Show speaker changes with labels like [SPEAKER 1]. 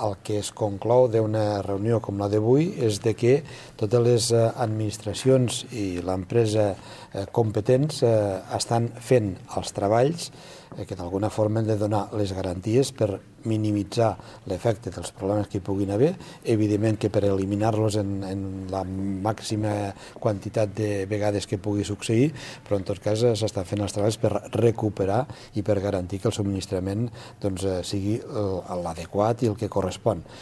[SPEAKER 1] el que es conclou d'una reunió com la d'avui és de que totes les administracions i l'empresa competents estan fent els treballs que d'alguna forma han de donar les garanties per minimitzar l'efecte dels problemes que hi puguin haver, evidentment que per eliminar-los en la màxima quantitat de vegades que pugui succeir, però en tot cas s'estan fent els treballs per recuperar i per garantir que el subministrament sigui l'adequat i el que correspon.